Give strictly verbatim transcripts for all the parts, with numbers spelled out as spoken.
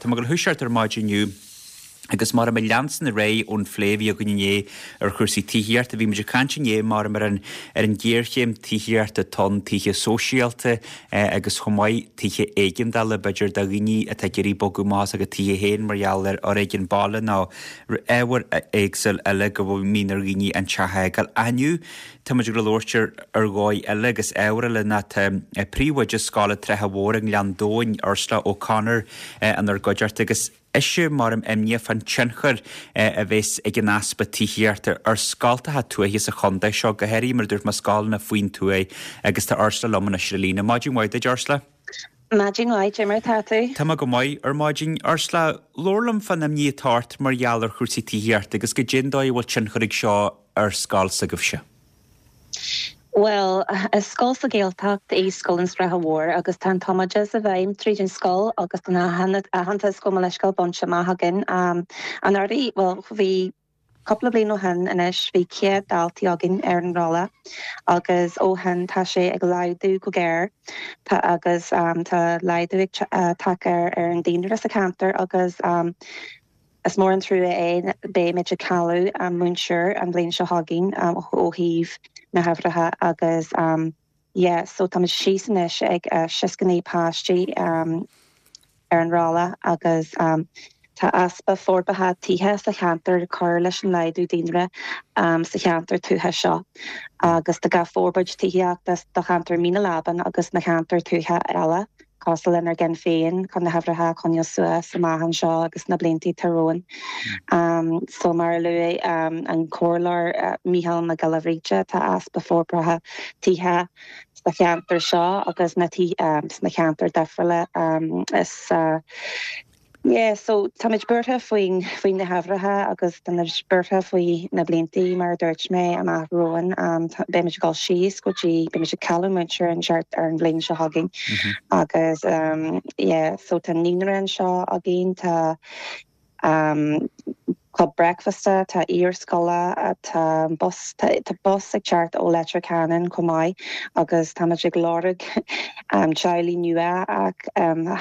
Tá mé ag dul ar maidin inniu agus mar ag leanstan ar aghaidh ón phlé a bhí againn inné ar chúrsaí tithíochta, bhí muid ag caint inné mar ar an ar an ghéarchéim tithíochta atá ann, tithe sóisialta agus chomh maith tithe éigeandála b'fhéidir do dhaoine atá ag iarraidh bogadh amach as a gcuid tithe féin mar gheall ar fhoréigean baile nó ábhair éagsúil eile go mbíonn ar dhaoine an teach a fhágáil. Ach inniu tá muid ag labhairt ar ar dhóigh eile agus ábhar eile ná tá príomhoide Scoil an tSratha Mhóir i nGleann Domhain, Ursula O'Connor, inár gcuideachta agus ise mar imníoch fán tionchar a bheas ag an easpa tithíochta ar scoltacha tuaithe sa chontae seo, go háirithe mar a dúirt mé scoileanna faoin tuaith agus tá Ursula liom anois ar an líne. Maidin mhaith duit, Ursula. Maidin mhaith, cad é mar atá tú? Tá mé go maith ar maidin. Ursula, labhair liom fán imní atá ort mar gheall ar chúrsaí tithíochta agus goidé an dóigh a bhfuil tionchar ag seo ar scoil s'agaibhse. Bhuel, is scoil sa Ghaeltacht í Scoil an Sratha Mhóir agus tá an tumoideachas i bhfeidhm tríd an scoil agus tá an aitheantas gabh mo leithscéal bainte amach againn. Um, anuraidh, well, bhí cúpla bliain ó shin anois bhí céad daltaí againn ar an rolla agus ó shin tá sé ag laghdú go géar tá agus um, tá laghdú ag uh, tagtha ar ar an daonra sa cheantar agus um, Is mór an trua é beimid ag cailleadh an múinteoir an bhliain seo chugainn um, ó thaobh na huimhreacha agus um, yeah, so tá síos anois ag uh, seasca naoi páistí um, ar an rolla agus um, tá easpa forbartha tithe sa cheantar cur leis an laghdú daonra um, sa cheantar tuaithe seo. agus tá gá forbairt tithíochta do cheantar Mín na Leaban agus na ceantar tuaithe eile. Cosúil lenár gceann féin chun na huimhreacha coinneáil suas amach anseo agus na blianta romhainn. Um, so mar a luaigh um, an comhairleoir uh, Mícheál Mac Giolla Bhríde tá easpa forbartha tithe sa cheantar seo agus na um, sna ceantar difriúla um, is uh, Yeah, so táimid buartha faoin faoin na huimhreacha agus táimid buartha faoi na blianta mar dúirt mé amach romhainn um, beimid ag dul síos go dtí beimid ag cailleadh múinteoir an seart ar an bhliain seo chugainn mm -hmm. agus um, yeah, so tá naíonra anseo againn tá um, club breakfasta tá iarscoile tá bus tá, tá bus ag teacht ó Leitir Ceanainn chomh maith agus táimid ag lorg um, teaghlaigh nua ach um,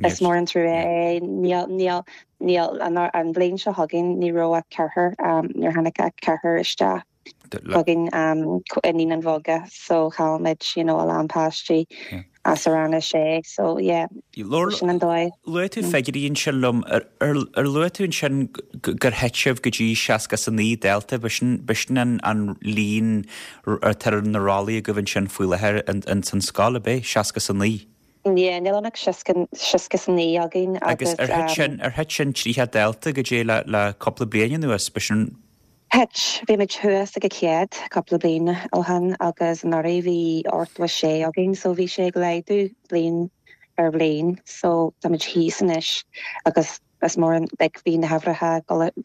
Is mór an trua é níl níl níl an bhliain seo chugainn ní raibh ach ceathrar um, níor tháinig ach ceathrar isteach chugainn um, i naíonáin bheaga so chaillmid you know, a lán páistí as a rang a sé so yeah sin an dóigh. Luaigh tú figiúirí ansin liom ar luaigh tú ansin gur thit sibh go dtí seasca is a naoi dalta b'shin an an líon atá ar na rollaí agaibh ansin faoi láthair in san scoil ab é seasca is a naoi. Yeah, níl ann ach seasca is a naoi againn agus ar thit sin ar thit sin tríocha dalta go dtí le le cúpla bliain anuas b'shin Thit bhí muid thuas ag a céad cúpla bliain ó shin agus anuraidh bhí ochtó sé againn so bhí sé ag laghdú bliain ar bhliain so táimid thíos anois agus is mór an like bhí na huimhreacha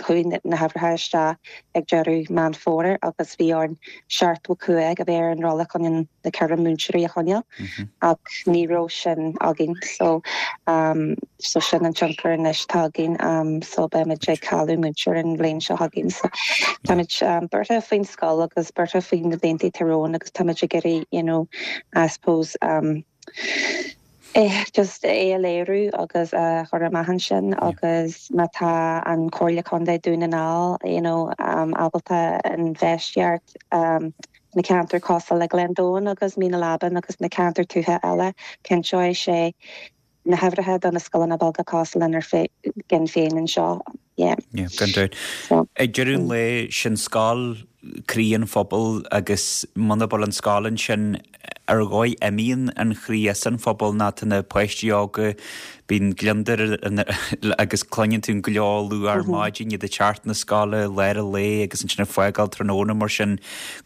chuaigh na huimhreacha isteach ag deireadh Meán Fómhair agus bhí orainn seachtó cúig a bheith ar an rolla chun na ceithre múinteoirí a choinneáil ach ní raibh sin againn so um, so sin an tionchar anois atá againn um, so beimid ag cailleadh múinteoir an bhliain seo chugainn so táimid um, buartha faoin scoil agus buartha faoin na blianta romhainn agus táimid ag iarraidh you know I suppose um, Eh, just é a léiriú agus a chur amach ansin agus má tá an Comhairle Contae Dún na nGall you know, um, ábalta infheistíocht um, na ceantar cosúil le Gleann Domhain agus Mín na Leaban agus na ceantar tuaithe eile cinnteoidh sé na huimhreacha do na scoileanna beaga cosúil lenár gceann féin anseo. Yeah. Yeah, gan dabht. So, Ag deireadh an lae sin scoil croí an phobail agus muna bhfuil an scoil ansin ar dhóigh imíonn an chroí as an phobal ná tá na páistí óga bíonn gliondar agus cluineann tú an gleo luath ar maidin iad ag teacht na scoile lár an lae agus ansin ag fágáil tráthnóna mar sin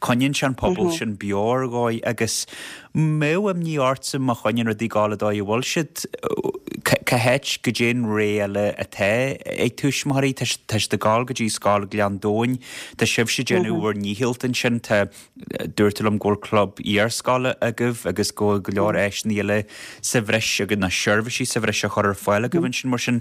coinníonn sé an pobal sin beo ar dhóigh agus mbeadh imní ortsa má choinníonn rudaí ag gabháil an dóigh a bhfuil siad cá háit goidé an rogha eile atá ag tuismitheoirí tá siad ag gabháil go dtí scoil Ghleann Domhain tá sibhse ag déanamh bhur ndícheall ansin tá dúirt tú liom go bhfuil club iarscoile agaibh agus go bhfuil go leor áiseanna eile sa bhreis agus na seirbhísí sa bhreis a chur ar fáil agaibh ansin mar sin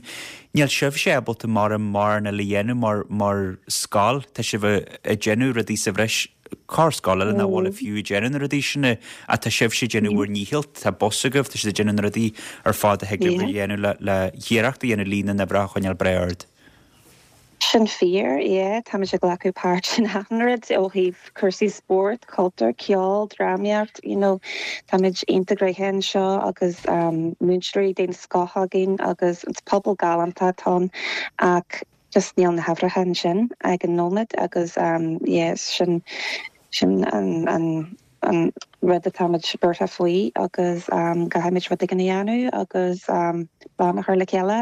níl sibhse ábalta mar mórán eile a dhéanamh mar mar scoil tá sibh ag déanamh rudaí sa bhreis corr-scoil eile nach bhfuil fiú ag déanamh na rudaí sin ach tá sibhse ag déanamh bhur ndícheall, tá bus agaibh, tá sibh ag déanamh na rudaí ar fad a thig libh a dhéanamh le le hiarracht a dhéanamh líon na n-uimhreacha a choinneáil breá ard. Sin fíor, yeah, táimid ag glacadh páirt in achan rud ó thaobh cúrsaí spóirt, cultúr, ceol, drámaíocht, you know, táimid iontach gnoitheach anseo agus múinteoirí den scoth againn agus pobal galánta atá ann ach just níl na huimhreacha ansin ag an nóiméad agus yeah, sin sin an an an rud atáimid buartha faoi agus caithfimid rud éigin a dhéanamh agus lámha a chur le chéile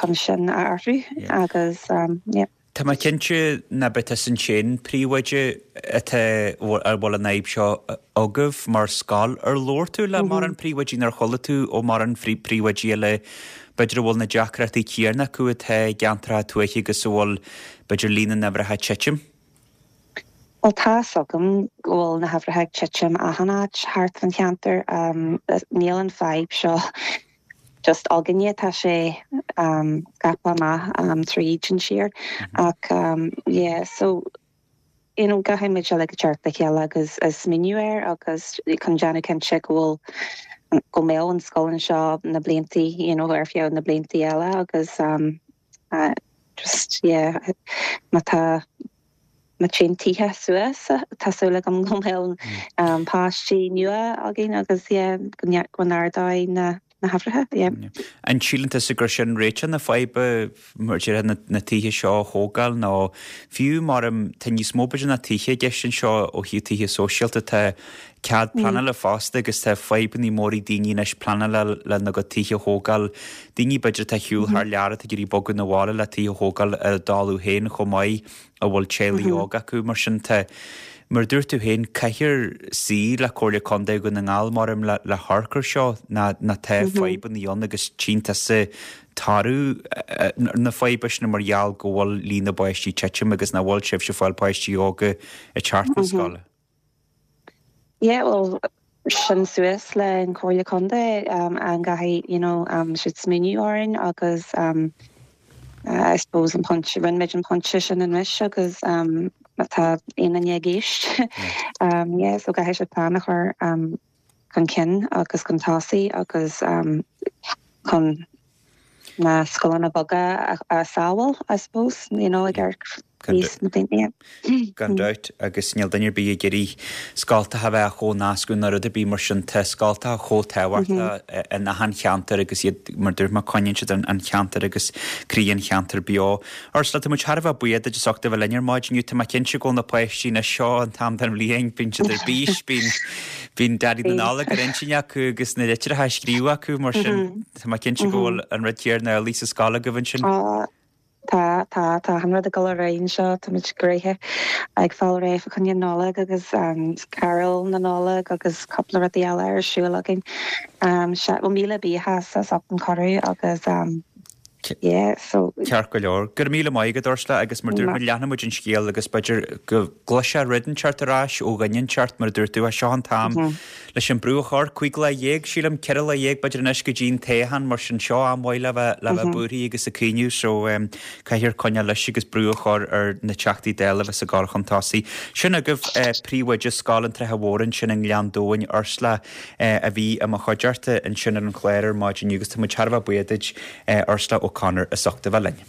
chun sin a athrú agus yeah. Tá mé cinnte nach b'é tusa an t-aon príomhoide atá a bhfuil an fhadhb seo agaibh mar scoil. Ar labhair tú le mórán príomhoidí nó ar chuala tú ó mórán príomhoidí eile b'fhéidir a bhfuil na deacrachtaí céanna acu atá i gceantracha tuaithe agus a bhfuil b'fhéidir líon na n-uimhreacha ag titim? Bhuel tá 's agam go bhfuil na huimhreacha ag titim achan áit thart an cheantar. Níl an fadhb seo just againne, tá sé scaipthe amach tríd an tír ach yeah so you know caithfimid uilig teacht le chéile agus smaoineamh air agus chun déanamh cinnte go bhfuil go mbeidh an scoil anseo na blianta you know ar feadh na blianta eile agus uh, just yeah má tá má téann tithe suas tá súil agam go mbeidh um, páistí nua againn agus yeah, go n-ardóidh na na huimhreacha. Yeah. An síleann tusa gur sin réiteach na faidhbe mar deir na, na tithe seo a thógáil nó fiú mar tá níos mó b'fhéidir ná tithe i gceist anseo ó thaobh tithe sóisialta tá cead pleanála fosta agus tá fadhbanna móra ag daoine anois pleanála lena gcuid tithe a thógáil. Daoine b'fhéidir atá ar shiúl thar lear atá ag iarraidh bogadh 'na bhaile le tithe a thógáil ar a dtalamh féin chomh maith a bhfuil teaghlaigh óga acu mar sin tá Mar dúirt tú féin caithfear suí le Comhairle Contae Dhún na nGall mar le le hamharc air seo ná ná tá fadhbanna ann agus tchíonn tusa toradh na faidhbe sin mar gheall go bhfuil líon na bpáistí ag titim agus nach bhfuil sibhse ag fáil páistí óga ag teacht na scoile. Yeah, well sin suas le an Comhairle Contae um, an gcaithfidh you know, um, siad smaoineamh orainn agus um, uh, I suppose an pointe rinne muid an pointe sin anois agus um, tá aon duine ag éisteacht um, yeah, so caithfidh siad plean a chur um, chun cinn agus chun tosaigh agus um, chun na scoileanna beaga a, a sábháil I suppose you know, ag níos na daoine. Gan dabht agus níl duine ar bith ag iarraidh scoltacha a bheith chomh nascadh ná rud ar bith mar sin tá scoltacha chomh tábhachtach in achan cheantar agus iad mar dúirt mé coinníonn siad an cheantar agus croí an cheantar beo. Ursula tá muid thar a bheith buíoch duit as ucht a bheith linn ar maidin inniu tá mé cinnte go bhfuil na páistí na seo an t-am den bhliain bíonn siad ar bís bíonn bíonn Daidí na Nollag ar intinn acu agus na litreacha á scríobh acu mar sin tá mé cinnte go bhfuil an rud céanna amhlaidh sa scoil agaibh ansin. Tá tá tá an rud ag dul ar aghaidh anseo tá gréithe ag fáil réidh fá choinne Nollag agus um, carúil na Nollag agus cúpla rudaí eile ar siúl againn. Um, se well míle buíochas as ucht an cuireadh agus um, yeah, so Ceart go leor. Gur míle maith agat Ursula agus mar dúirt leanfaidh muid an scéal agus b'fhéidir go gcloisfear rud inteacht ar ais ó dhuine inteacht mar dúirt tú é seo an t-am leis an brú a chur cúig lá dhéag sílim ceithre lá dhéag b'fhéidir anois go dtí an toghchán mar sin seo am mhaith le bheith le bheith buartha agus ag cuimhneamh so um, caithfear coinneáil leis agus brú a chur ar na Teachtaí Dála bheith ag gabháil chun tosaigh. Sin agaibh eh, príomhoide Scoil an Tsratha Mhóir ansin i nGleann Domhain Ursula eh, a bhí i mo chuideachta ansin ar an chlár ar maidin agus tá muid thar a bheith buíoch duit eh, Ursula O'Connor as ucht a bheith linn.